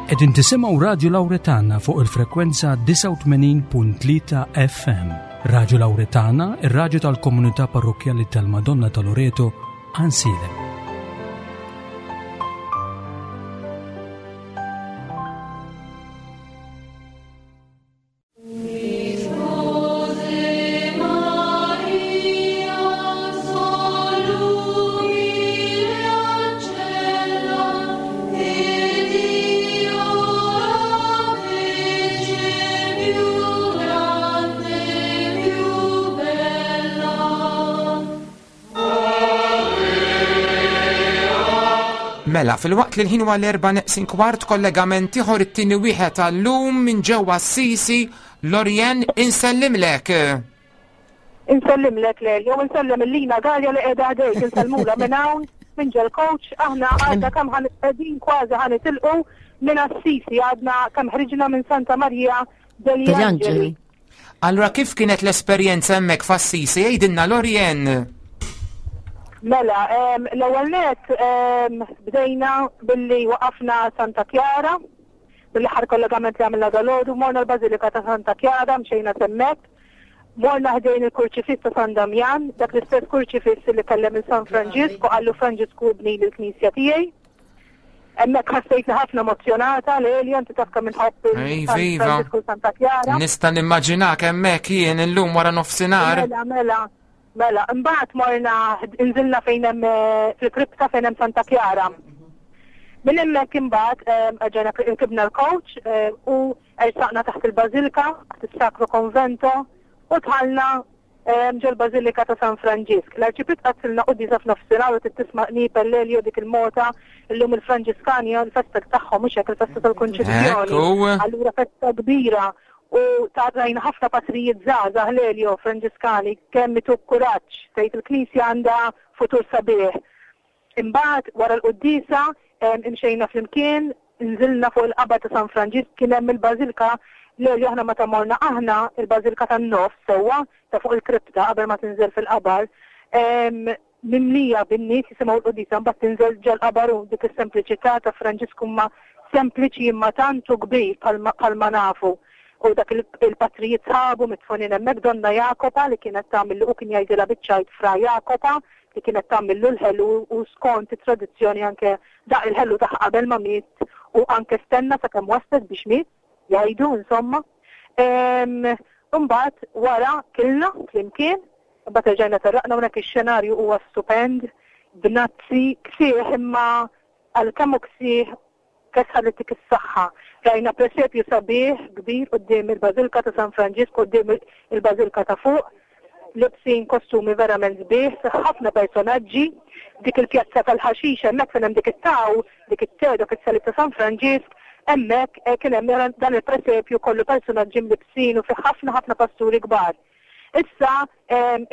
Qegħdin tisimgħu Radju Lawretana fuq il-frekwenza 89.3 FM. Radju Lawretana, ir-radju tal-komunità parrokkjali tal-Madonna ta' Loreto, Ansilem. Mela, filwaqt li l-ħin huwa l-erba' neqsin kwart kollegament ieħor it-tieni wieħed għallum minn ġewwa Assisi, Lorien insellimlek. Insellimlek Lelio, insellem il-Lina Galja li qiegħda ħdejk, insellmula minn hawn, minn ġel coach, aħna għadna kemm qegħdin kważi ħanitilqu minn Assisi, għadna kemm ħriġna minn Santa Maria degli Angeli. Allura kif kienet l-esperjenza hemmhekk f'Assisi? Għidilna Lorien. Mela, l-ewwel net bdejna billi waqafna Santa Chiara, mill-aħħar kollegament li għamilna dalgħodu, morna l-Bażilika ta' Santa Chiara, mxejna s'hemmhekk, morna ħdejn il-Kurċifiss ta' San Damjan, dak l-istess kurċifiss li kellem il San Franġisk u qallu Franġisku ibnili l-knisja tiegħi. Hemmhekk ħassejtni ħafna emozzjonata, Lelja, inti taf kemm inħobb il-Franġisku Santa Chiara. Nista' nimmaġinak hemmhekk jien illum wara nofsinhar. Mela, mela, mela. Imbagħad morna nżilna fejn hemm eh, fil-kripta fejn hemm Santa Chiara. Minn hemmhekk imbagħad eh, ġejna rkibna l-coach eh, u ersaqna taħt il-Bażilka, taħt is-Sacro Convento u dħalna ġol-Bażilika ta' San Franġisk. L-Arċipriet qaddsilna quddiesa f'nofsinhar u trid tisma' qnieb Ellelio dik il-mota, illum il-Franġiskani l-festa tagħhom mhux hekk il-festa tal-Kunċizzjoni. Allura festa kbira u ta' rajna ħafna patrijiet żgħażagħ Lelio Franġiskani kemm ituk kuraġġ tgħid il-Knisja għandha futur sabiħ. Imbagħad wara l-quddiesa imxejna flimkien, nżilna fuq il-qabar ta' San Franġisk, kien hemm il-bażilka l-li aħna meta morna aħna, il-bażilka tan-nofs sewwa, ta' fuq il-kripta qabel ma tinżel fil-qabar, mimlija bin-nies jisimgħu l-quddiesa, mbagħad tinżel ġol-qabar u dik is-sempliċità ta' Franġisku imma sempliċi imma tant hu kbir bħalma nafu. U dak il-patrijiet sħabu midfunin hemmhekk, Donna Jakopa li kienet tagħmillu u kien jgħidilha biċ-ċajt Fra Jakopa, li kienet tagħmillu l-ħelu u skont it-tradizzjoni anke daq il-ħelu tagħha qabel ma miet u anke stenna sakemm waslet biex miet, jgħidu insomma. Imbagħad wara kilna flimkien, imbagħad erġajna terraqna hawnhekk ix-xenarju huwa stupend, bnazzi, ksieħ imma għalkemm hu ksieħ Kesħa li ttik is-saħħa. Rajna presepju sabiħ kbir quddiem il-Bażilka ta' San Franġisk quddiem il-Bażilka ta' fuq, libsin kostumi verament sbieħ, fih ħafna personaġġi. Dik il-pjazza tal-ħaxix hemmhekk fejn hemm dik it-taw, dik it-te, dak is-salib ta' San Franġisk, hemmhekk kien hemm dan il-presepju kollu personaġġi mlibbsin u fih ħafna ħafna pasturi kbar. Issa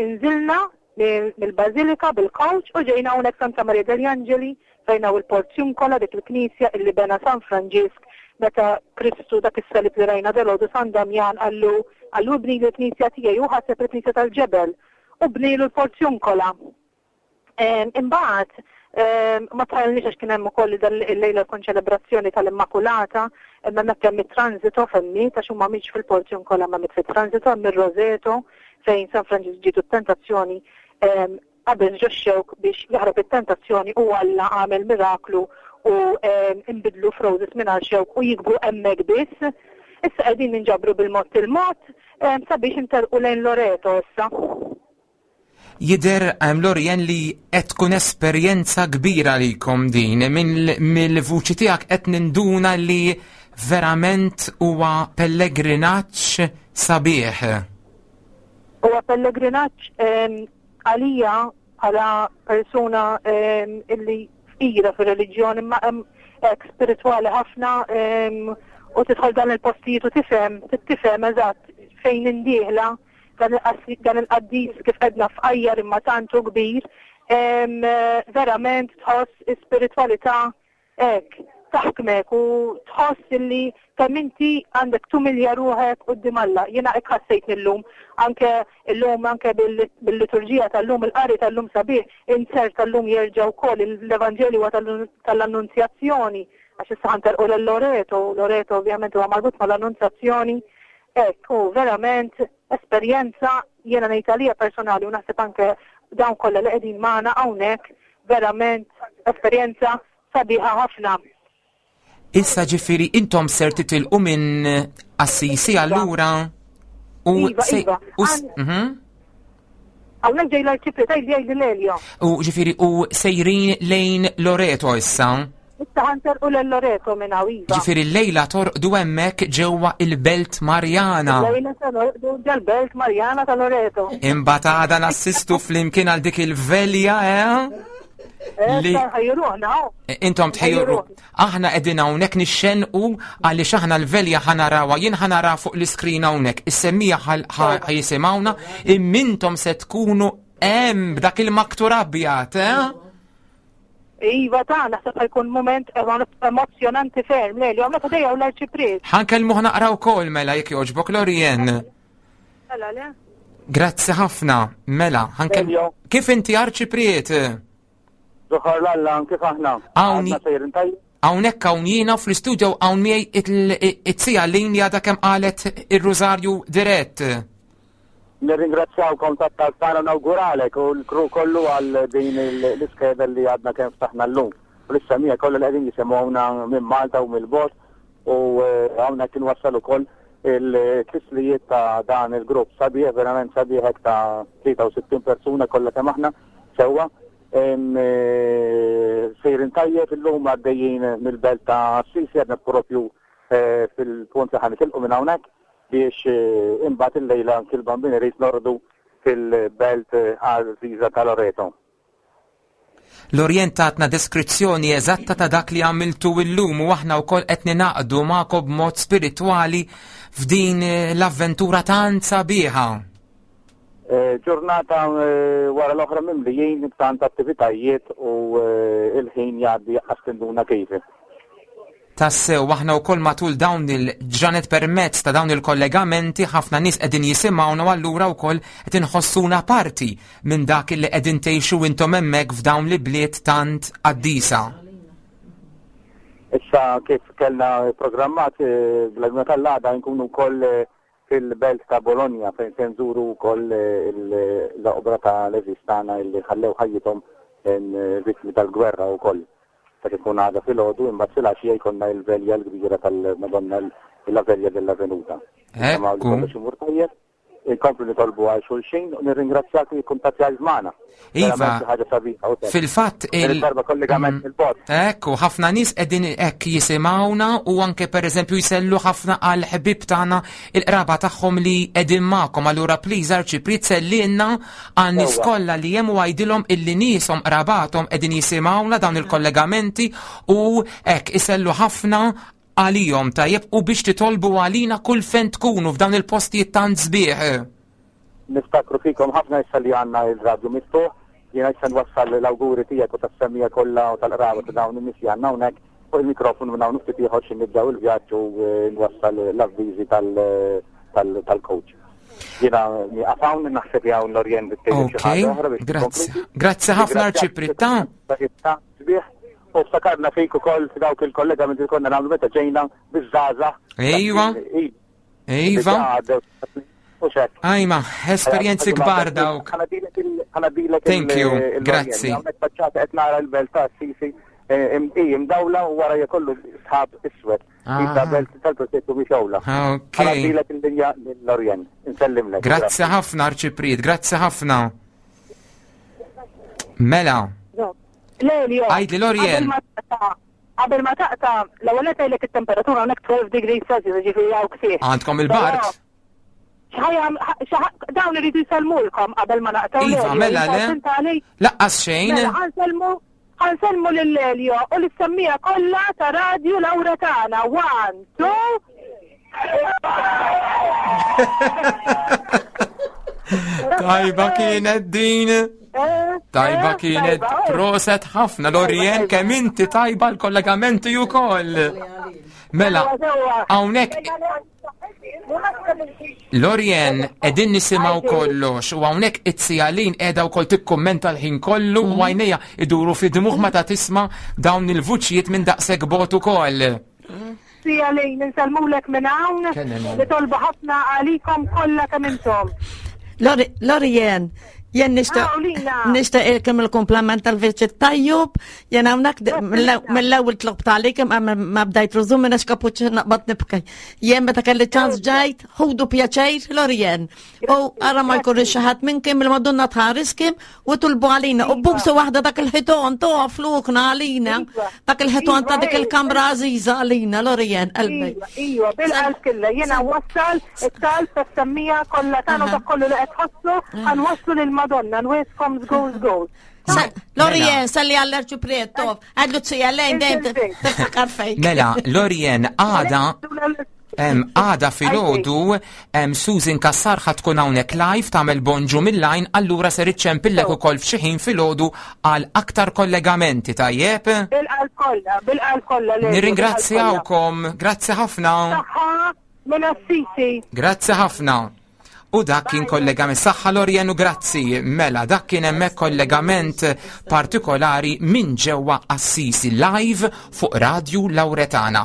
inżilna mill-Bażilika bil-kowċ u ġejna hawnhekk Santa Maria degli Angeli fejn hawn il-Porziuncola dik il-knisja illi bena San Franġisk meta Kristu dak is-salib li rajna dalgħodu San Damjan qallu qallu ibnili l-knisja tiegħi hu ħaseb il-knisja tal-ġebel u bnielu l-Porziuncola. Imbagħad ma tħallniex għax kien hemm ukoll dan il-lejla l-konċelebrazzjoni tal-Immakulata, imma hemmhekk hemm it-transito femmi għax huma mhix fil-Porziuncola ma mit fit-transito hemm ir-Roseto fejn San Franġisk ġietu t-tentazzjoni qabeż ġox-xewk biex jaħrab it-tentazzjoni u Alla għamel miraklu u nbidlu f'roses mingħajr xewk u jikbru hemmhekk biss. Issa qegħdin ninġabru bil-mod il-mod sabiex interqu lejn Loreto issa. Jidher Lorien li qed tkun esperjenza kbira għalikom din, mill-vuċi tiegħek qed ninduna li verament huwa pellegrinaġġ sabiħ. Huwa pellegrinaġġ għalija bħala persuna illi fqira fir-reliġjon imma hekk spiritwali ħafna u tidħol dan il-postijiet u tifhem, tifhem eżatt fejn indieħla dan il-qaddis kif għedna fqajjar imma tant hu kbir, verament tħoss is-spiritwalità hekk taħkmek u tħoss illi kemm inti għandek tumilja ruħek quddiem Alla. Jiena hekk ħassejtni llum, anke llum anke bil-liturġija tal-lum, il-qari tal-lum sabiħ, insert tal-lum jerġa' wkoll l-Evanġelju huwa tal-Annunzjazzjoni. għax issa ħanterqu lil Loreto, Loreto ovvjament huwa marbut mal-Annunzjazzjoni, hekk hu verament esperjenza jiena ngħid għalija personali u naħseb anke dawn kollha li qegħdin magħna hawnhekk verament esperjenza sabiħa ħafna. Issa ġifieri intom ser titilqu minn Assisi allura u iva, iva. Mhm. Hawnhekk ġej l-arċipriet għidli għidli Lelio. U ġifieri u sejrin lejn Loreto issa. Issa ħanterqu lil Loreto minn hawn iva. Ġifieri llejla torqdu hemmhekk ġewwa il-Belt Marjana. Lejla se norqdu ġal-Belt Marjana ta' Loreto. Imbagħad għada nassistu flimkien għal dik il-velja, eh? eh li ħajruħna. Eh, intom tħejru. Aħna qegħdin hawnhekk nixxenqu għaliex aħna l-velja ħanarawha, jien ħanara fuq l-iskrin hawnhekk, is-semmija ħajisimgħuna, immintom se tkunu hemm b'dak il-maktur abjad, eh? Iva ta' naħseb ħajkun moment emozjonanti ferm, le, li għamla ta' dejja u l-arċipriet. Ħankellmu naqra wkoll mela jekk jogħġbok Lorien. Mela le. Grazzi ħafna, mela, ħankellmu. Kif inti arċipriet? Zuħar l-Alla, kif aħna? Hawnhekk hawn jiena fl-istudio hawn miegħi it-sija lin li għadha kemm qalet ir-Rużarju dirett. Nirringrazzjawkom tat-talb tagħna nawguralek u l-kru kollu għal din l-iskeda li għadna kemm ftaħna llum. U lis-semija kollha li qegħdin jisimgħuna minn Malta u mill-bogħod u eh, hawnhekk inwassal ukoll il-tislijiet ta' dan il-grupp sabiħ, verament sabiħ hekk ta' 63 persuna kollha kemm aħna sewwa. Eh, sejrin tajjeb illum għaddejjin mill-belt ta' Assisi għadna propju eh, fil-punt li ħanitilqu minn hawnhekk biex eh, imbagħad illejla anki l-Bambin irid nordu fil-belt għażiża ta' Loreto. L-Orjent tatna deskrizzjoni eżatta ta' dak li għamiltu illum u aħna wkoll qed ninaqdu magħkom b'mod spiritwali f'din eh, l-avventura tant sabiħa. Eh, ġurnata eh, wara l-oħra mimlijin b'tant attivitajiet u il-ħin jgħaddi għas tinduna kif. Tassew, aħna wkoll matul dawn il-ġranet permezz ta' dawn il-kollegamenti ħafna nies qegħdin jisimgħuna u allura wkoll qed inħossuna parti minn dak li qegħdin tgħixu intom hemmhekk f'dawn l-ibliet tant qaddisa. Issa kif kellna programmat eh, bl-għajnuna tal-għada nkunu wkoll eh, fil-belt ta' Bologna fejn se nżuru wkoll eh, l-oqbra ta' l-għeżież tagħna illi ħallew ħajjithom vittmi tal-gwerra wkoll. Dak ikun għada filgħodu imbagħad filgħaxija jkollna il-velja l-kbira tal-Madonna la Velja della Venuta. Ekku. Kollox imur tajjeb. Inkomplu nitolbu għal xulxin u nirringrazzjak li kuntattjajt magħna. Iva, fil-fatt il darba kollegament mm. il-bot. Ekku, ħafna nies qegħdin hekk jisimgħuna u anke pereżempju jsellu ħafna għal ħbib tagħna il-qraba tagħhom li qegħdin magħkom. Allura please Arċipriet sellilna Għan-nies kollha li hemm u għidilhom illi nieshom qrabathom qegħdin jisimgħuna dawn il-kollegamenti u hekk isellu ħafna għalihom tajjeb u biex titolbu għalina kull fejn tkunu f'dawn il-postijiet tant sbieħ. Niftakru fikom ħafna issa li għandna il-radju miftuħ, jiena issa nwassal l-awguri tiegħek u tas-semmiegħa kollha u tal-qraba ta' dawn in-nies li għandna hawnhekk fuq il-mikrofonu minn hawn u ftit ieħor xi nibdew il-vjaġġ u nwassal l-avviżi tal-coach. Jiena nieqaf hawn naħseb li hawn Lorien bit xi ħaġa oħra biex Grazzi. Grazzi ħafna Arċipritta. Sbieħ u ftakarna fik ukoll f'dawk il-kollega minn konna nagħmlu meta ġejna biż-żgħażagħ. Ejwa. Iva. Ajma, esperjenzi kbar dawk. Thank you, grazzi. Qed nara l-belt ta' Sisi eh, imdawla u wara jkollu sħab iswed. Ah. Issa belt tal-protettu biex awla. Ah, ok. Ħanadilek il-linja l-Orjen. Insellimlek. Grazzi ħafna, Arċipriet, grazzi ħafna. Mela. Lelio. Għajdli l-Orjen. Qabel ma taqta, l-ewwel qed ngħidlek it-temperatura hawnhekk 12 degrees Celsius, ġifieri hawn ksieħ. Għandkom il-bard? Dawn iridu jsellmulkom qabel ma naqtgħu. Iva, mela le. Laqqas xejn. Mela ħansellmu ħansellmu lil Elio u lis-semmija kollha ta' Radju Laura tagħna. One, two, Tajba kienet din. Tajba kienet proset ħafna Lorien kemm inti tajba l-kollegamenti ukoll. Mela, hawnhekk. Lorien, edin nisimaw kollox u hawnhekk it-sijalin qiegħda wkoll tikkummenta l-ħin kollu u għajnejha iduru fi dmuħ meta tisma' dawn il-vuċijiet minn daqshekk bot ukoll. Sijalin, insellmulek minn hawn, nitolbu ħafna għalikom kollha kemm intom. Lorien, jen nishta ilkem il-kompliment tal-viċi tajjub, jen għawnak mill-ewel tlob talikem ma bdajt rużum minna xkapuċ naqbad nibki. Jen meta kelli ċans ġajt, ħudu pjaċejr Lorien. U għara ma jkun xaħat minn kim il-Madonna tħares kim u tulbu għalina. U bubsu waħda dak il-ħiton to flukna għalina. Iva. Dak il-ħiton ta' dik il-kamra għaziza għalina, Lorien, qalbi. Iva, iva, bil-qalb killa, jena wassal it-talb ta' semmija kollha tagħna dak kollu li qed tħossu, ħanwasslu lill-Madonna, nwieskom żgur żgur. Lorien, salli għall-arċu preto, għadlu t-sija lejn dejjem tiftakar fejk. Mela, Lorien, għada għada filgħodu Susan Kassar ħa tkun hawnhekk live tagħmel bonġu mill-lajn allura ser iċċempillek ukoll f'xi ħin filgħodu għal aktar kollegamenti tajjeb. Bil-qalb kollha, bil-qalb kollha. Nirringrazzjawkom, grazzi ħafna. Saħħa minn Assisi. Grazzi ħafna. U dak kien kollegament saħħa Lorien u grazzi. Mela, dak kien hemmhekk kollegament partikolari minn ġewwa Assisi live fuq Radju Lauretana.